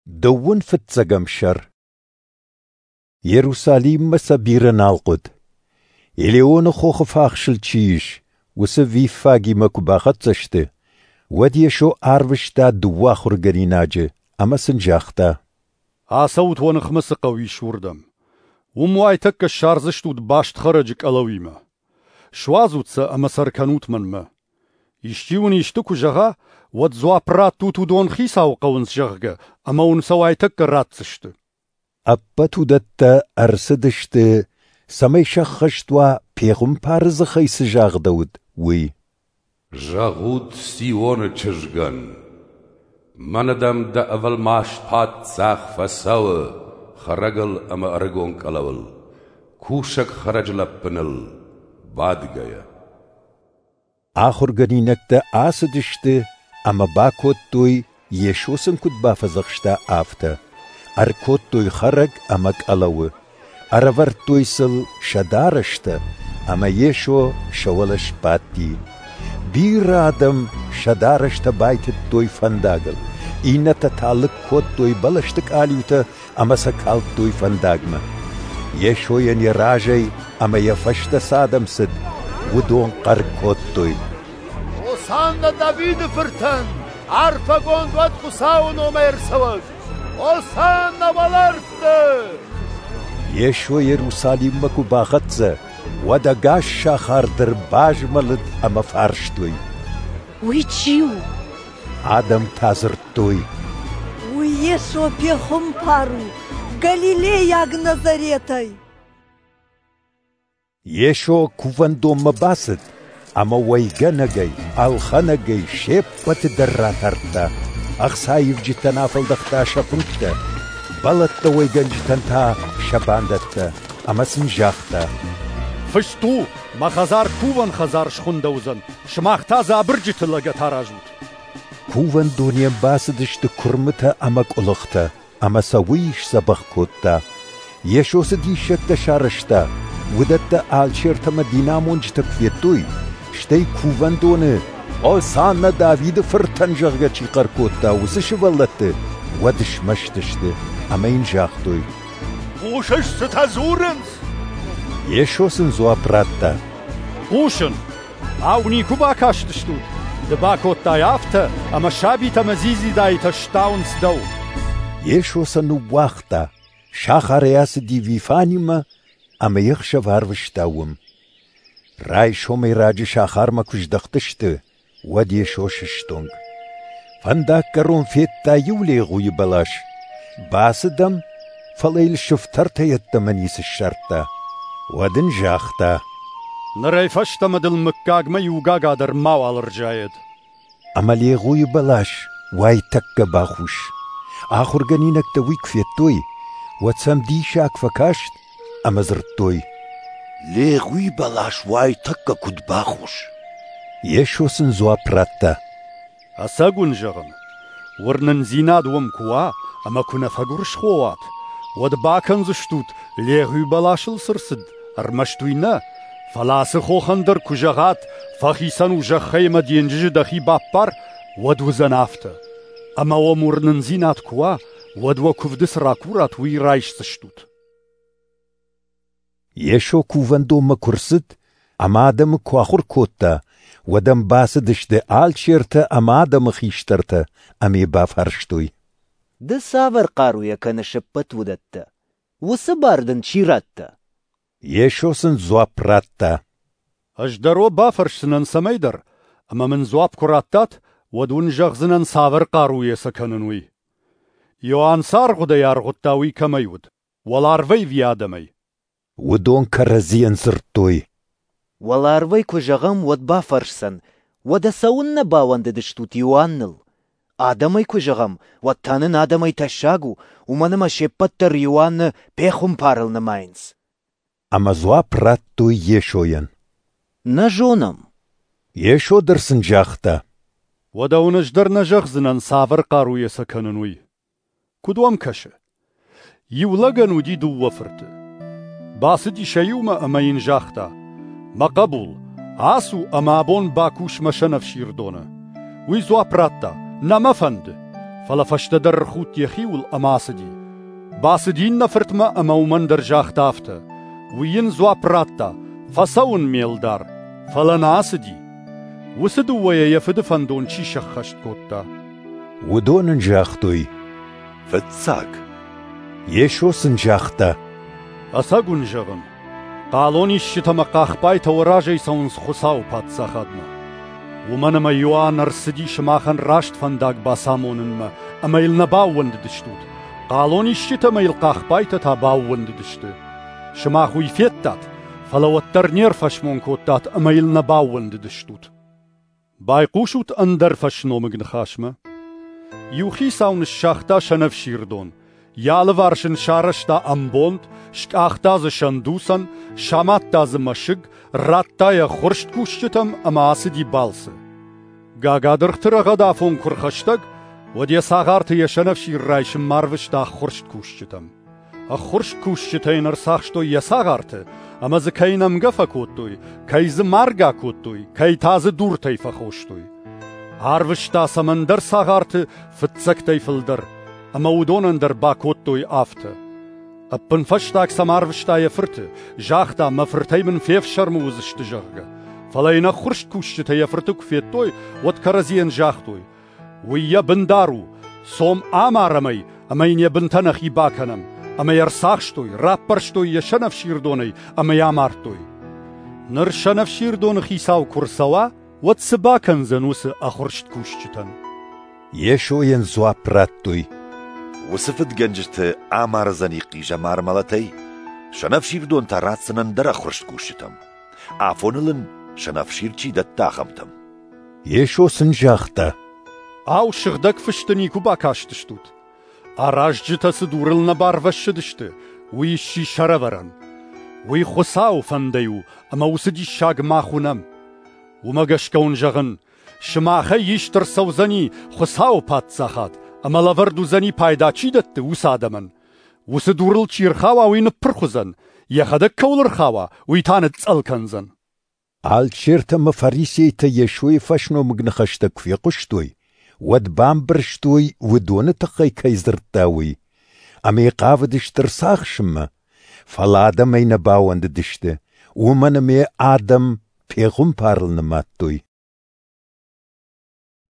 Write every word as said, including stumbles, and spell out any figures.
Дыууын фыццӕгӕм сӕр. Иерусалиммӕ сӕ бирӕ нал хъуыд. Елеоны хохы фахсыл чи ис, уыцы Виффагимӕ куы бахӕццӕ сты, уӕд Йесо арвыста дыууӕ ахуыргӕнинаджы ӕмӕ сын загъта: Ацӕут, уӕ ныхмӕ цы хъӕу ис, уырдӕм. Уым уайтӕккӕ ссардзыстут баст хӕрӕджы къӕлӕуимӕ. Суадзут сӕ ӕмӕ сӕ ӕркӕнут мӕнмӕ. Исчи уын исты куы зӕгъа, уӕд дзуапп раттут, уыдон Хицауы хъӕуынц, зӕгъгӕ, ӕмӕ уын сӕ уайтӕккӕ ратдзысты. Ӕппӕт уыдӕттӕ ӕрцыдысты, цӕмӕй сӕххӕст уа, пехуымпары дзыхӕй цы загъдӕуыд, уый. Зӕгъут Сионы чызгӕн: мӕнӕ дӕм дӕ ӕвӕлмас паддзах фӕцӕуы хӕрӕгыл ӕмӕ ӕрыгон къӕлӕуыл, кусӕг хӕрӕджы лӕппыныл бадгӕйӕ. Ахуыргӕнинӕгтӕ ацыдысты ӕмӕ бакодтой, Йесо сын куыд бафӕдзӕхста, афтӕ. Ӕркодтой хӕрӕг ӕмӕ къӕлӕуы, ӕрӕвӕрдтой сыл сӕ дарӕстӕ, ӕмӕ Йесо сӕ уӕлӕ сбадти. Бирӕ адӕм сӕ дарӕстӕ байтыдтой фӕндагыл, иннӕтӕ та лыг кодтой бӕлӕсты къалиутӕ ӕмӕ сӕ калдтой фӕндагмӕ. Йесойӕн йӕ разӕй ӕмӕ йӕ фӕстӕ цы адӕм цыд, уыдон хъӕр кодтой: Осанна Давиды фыртӕн! Арфӕгонд уӕд Хуыцауы номӕй ӕрцӕуӕг! Осанна уӕлӕрвты! Йесо Иерусалиммӕ куы бахӕццӕ, уӕд ӕгас сахар дӕр базмӕлыд ӕмӕ фарстой: Уый чи у? Адӕм та дзырдтой: Уый Йесо пехуымпар у, галилейаг Назаретӕй. Йесо кувӕндонмӕ бацыд ӕмӕ уӕйгӕнӕгӕй, ӕлхӕнӕгӕй се ппӕты дӕр ратардта, ӕхцаивджытӕн афӕлдӕхта сӕ фынгтӕ, бӕлӕттӕ уӕйгӕнджытӕн та сӕ бандӕттӕ, ӕмӕ сын загъта: Фыст у, мӕ хӕдзар кувӕн хӕдзар схуындӕуыдзӕн, сымах та дзы абырджыты лӕгӕт аразут. Кувӕндонӕн бацыдысты куырмытӕ ӕмӕ къуылыхтӕ, ӕмӕ сӕ уый сдзӕбӕх кодта. Йесо цы диссӕгтӕ сарӕзта, уыдӕттӕ алчертӕ ӕмӕ динамонджытӕ куы федтой, стӕй кувӕндоны «Осанна Давиды фыртӕн», зӕгъгӕ, чи хъӕр кодта, уыцы сывӕллӕтты, уӕд смӕсты сты ӕмӕ йын загътой: Хъусыс, цытӕ дзурынц? Йесо сын дзуапп радта: Хъусын! Ау, никуы бакастыстут? Ды бакодтай афтӕ, ӕмӕ сабитӕ ӕмӕ дзидзидаитӕ стауынц дӕу. Йесо сӕ ныууагъта, сахарӕй ацыди Вифанимӕ ӕмӕ йе хсӕв арвыста уым. Райсомӕй раджы сахармӕ куы здӕхтысты, уӕд Йесо сыстонг. Фӕндаггӕрон федта иу легъуийы бӕлас. Бацыд ӕм, фӕлӕ йыл сыфтӕртӕ йеддӕмӕ ницы ссардта. Уӕд ын загъта: Нырӕй фӕстӕмӕ дыл мыггагмӕ иу гага дӕр мауал ӕрзайӕд. Ӕмӕ легъуийы бӕлас уайтӕккӕ бахус. Ахуыргӕнинӕгтӕ уый куы федтой, уӕд сӕм диссаг фӕкаст ӕмӕ дзырдтой: Легъуи бӕлас уайтӕккӕ куыд бахус? Йесо сын дзуапп радта: Ӕцӕг уын зӕгъын, уырнындзинад уӕм куы уа ӕмӕ куы нӕ фӕгуырысхо уат, уӕд бакӕндзыстут, легъуи бӕласыл цы рцыд, ӕрмӕст уый нӕ, фӕлӕ ацы хохӕн дӕр куы зӕгъат, фӕхицӕн у зӕххӕй ӕмӕ денджызы дӕхи баппар, уӕд уыдзӕн афтӕ. Ӕмӕ уӕм уырнындзинад куы уа, уӕд уӕ куывды цы ракурат, уый райсдзыстут. Йесо кувӕндонмӕ куы рцыд ӕмӕ адӕмы куы ахуыр кодта, уӕд ӕм бацыдысты алчертӕ ӕмӕ адӕмы хистӕртӕ ӕмӕ йӕ бафарстой: Ды цавӕр хъаруйӕ кӕныс ӕппӕт уыдӕттӕ? Уыцы бар дын чи радта? Йесо сын дзуапп радта: Ӕз дӕр уӕ бафӕрсдзынӕн цӕмӕйдӕр, ӕмӕ мын дзуапп куы раттат, уӕд уын зӕгъдзынӕн, цавӕр хъаруйӕ сӕ кӕнын, уый. Иоанн цы аргъуыдӕй аргъуыдта, уый кӕмӕй уыд? Уӕларвӕй ӕви адӕмӕй? Уыдон кӕрӕдзийӕн дзырдтой: Уӕларвӕй куы зӕгъӕм, уӕд бафӕрсдзӕн, уӕдӕ цӕуыннӕ баууӕндыдыстут Иоанныл? Адӕмӕй куы зӕгъӕм, уӕд та нын адӕмӕй тӕссаг у, уымӕн ӕмӕ се ппӕт дӕр Иоанны пехуымпарыл нымайынц. Ӕмӕ дзуапп радтой Йесойӕн: Нӕ зонӕм. Йесо дӕр сын загъта: Уӕдӕ уын ӕз дӕр нӕ зӕгъдзынӕн, цавӕр хъаруйӕ сӕ кӕнын, уый. Куыд уӕм кӕсы? Иу лӕгӕн уыди дыууӕ фырты. Бацыди сӕ иумӕ ӕмӕ йын загъта: Мӕ хъӕбул, ацу ӕмӕ абон бакус мӕ сӕнӕфсирдоны. Уый дзуапп радта: Нӕ мӕ фӕнды. Фӕлӕ фӕстӕдӕр ӕрхудт йӕхиуыл ӕмӕ ацыди. Бацыди иннӕ фыртмӕ ӕмӕ уымӕн дӕр загъта афтӕ. Уый йын дзуапп радта: «Фӕцӕуын, ме лдар», фӕлӕ нӕ ацыди. Уыцы дыууӕйӕ йӕ фыды фӕндон чи сӕххӕст кодта? Уыдон ын загътой: Фыццаг. Йесо сын загъта: Ӕцӕг уын зӕгъын, хъалонисджытӕ ӕмӕ хъахбайтӕ уӕ разӕй цӕуынц Хуыцауы Паддзахадмӕ. Уымӕн ӕмӕ Иоанн ӕрцыди сымахӕн раст фӕндаг бацамонынмӕ, ӕмӕ йыл нӕ баууӕндыдыстут. Хъалонисджытӕ ӕмӕ йыл хъахбайтӕ та баууӕндыдысты. Сымах уый федтат, фӕлӕ уӕддӕр не рфӕсмон кодтат ӕмӕ йыл нӕ баууӕндыдыстут. Байхъусут ӕндӕр фӕсномыг ныхасмӕ. Иу хицау ныссагъта сӕнӕфсирдон, йӕ алыварс ын сарӕзта ӕмбонд, скъахта дзы сӕндуцӕн, самадта дзы мӕсыг, радта йӕ ӕххуырст кусджытӕм ӕмӕ ацыди балцы. Гагадыргъты рӕгъӕд афон куы рхӕстӕг, уӕд йӕ цагъарты йӕ сӕнӕфсир райсынмӕ арвыста ӕххуырст кусджытӕм. Ӕххуырст кусджытӕ йын ӕрцахстой йӕ цагъарты ӕмӕ дзы кӕй нӕмгӕ фӕкодтой, кӕй дзы маргӕ кодтой, кӕй та дзы дуртӕй фӕхостой. Арвыста сӕм ӕндӕр цагъарты фыццӕгтӕй фылдӕр, ӕмӕ уыдонӕн дӕр бакодтой афтӕ. Ӕппынфӕстаг сӕм арвыста йӕ фырты, загъта, мӕ фыртӕй мын фефсӕрмы уыдзысты, зӕгъгӕ. Фӕлӕ йын ӕххуырст кусджытӕ йӕ фырты куы федтой, уӕд кӕрӕдзийӕн загътой: уый йӕ бындар у, цом амарӕм ӕй ӕмӕ йын йӕ бынтӕ нӕхи бакӕнӕм. Ӕмӕ йӕ ӕрцахстой, раппӕрстой йӕ сӕнӕфсирдонӕй ӕмӕ йӕ амардтой. Ныр сӕнӕфсирдоны хицау куы рцӕуа, уӕд цы бакӕндзӕн уыцы ӕххуырст кусджытӕн? Йесойӕн дзуапп радтой: Уыцы фыдгӕнджыты амардзӕни хъизӕмар мӕлӕтӕй, сӕнӕфсирдон та ратдзӕн ӕндӕр ӕххуырст кусджытӕм. Афоныл ын сӕнӕфсир чи дӕтта, ахӕмтӕм. Йесо сын загъта: Ау, сыгъдӕг фысты никуы бакастыстут? Аразджытӕ цы дурыл нӕ барвӕссыдысты, уый сси сӕрӕвӕрӕн. Уый Хуыцауы фӕндӕй у, ӕмӕ уыцы диссаг мах уынӕм. Уымӕ гӕсгӕ уын зӕгъын, сымахӕй ист ӕрцӕудзӕни Хуыцауы Паддзахад, ӕмӕ лӕвӕрд уыдзӕни пайда чи дӕтты, уыцы адӕмӕн. Уыцы дурыл чи рхауа, уый ныппырх уыдзӕн, йӕхӕдӕг кӕуыл ӕрхауа, уый та ныцъцъӕл кӕндзӕн. Алчертӕ ӕмӕ фарисейтӕ Йесойы фӕсномыг ныхӕстӕ куы фехъуыстой, уӕд бамбӕрстой, уыдоны тыххӕй кӕй дзырдта, уый. Ӕмӕ йӕ хъавыдысты ӕрцахсынмӕ, фӕлӕ адӕмӕй нӕ бауӕндыдысты, уымӕн ӕмӕ адӕм пехуымпарыл нымадтой.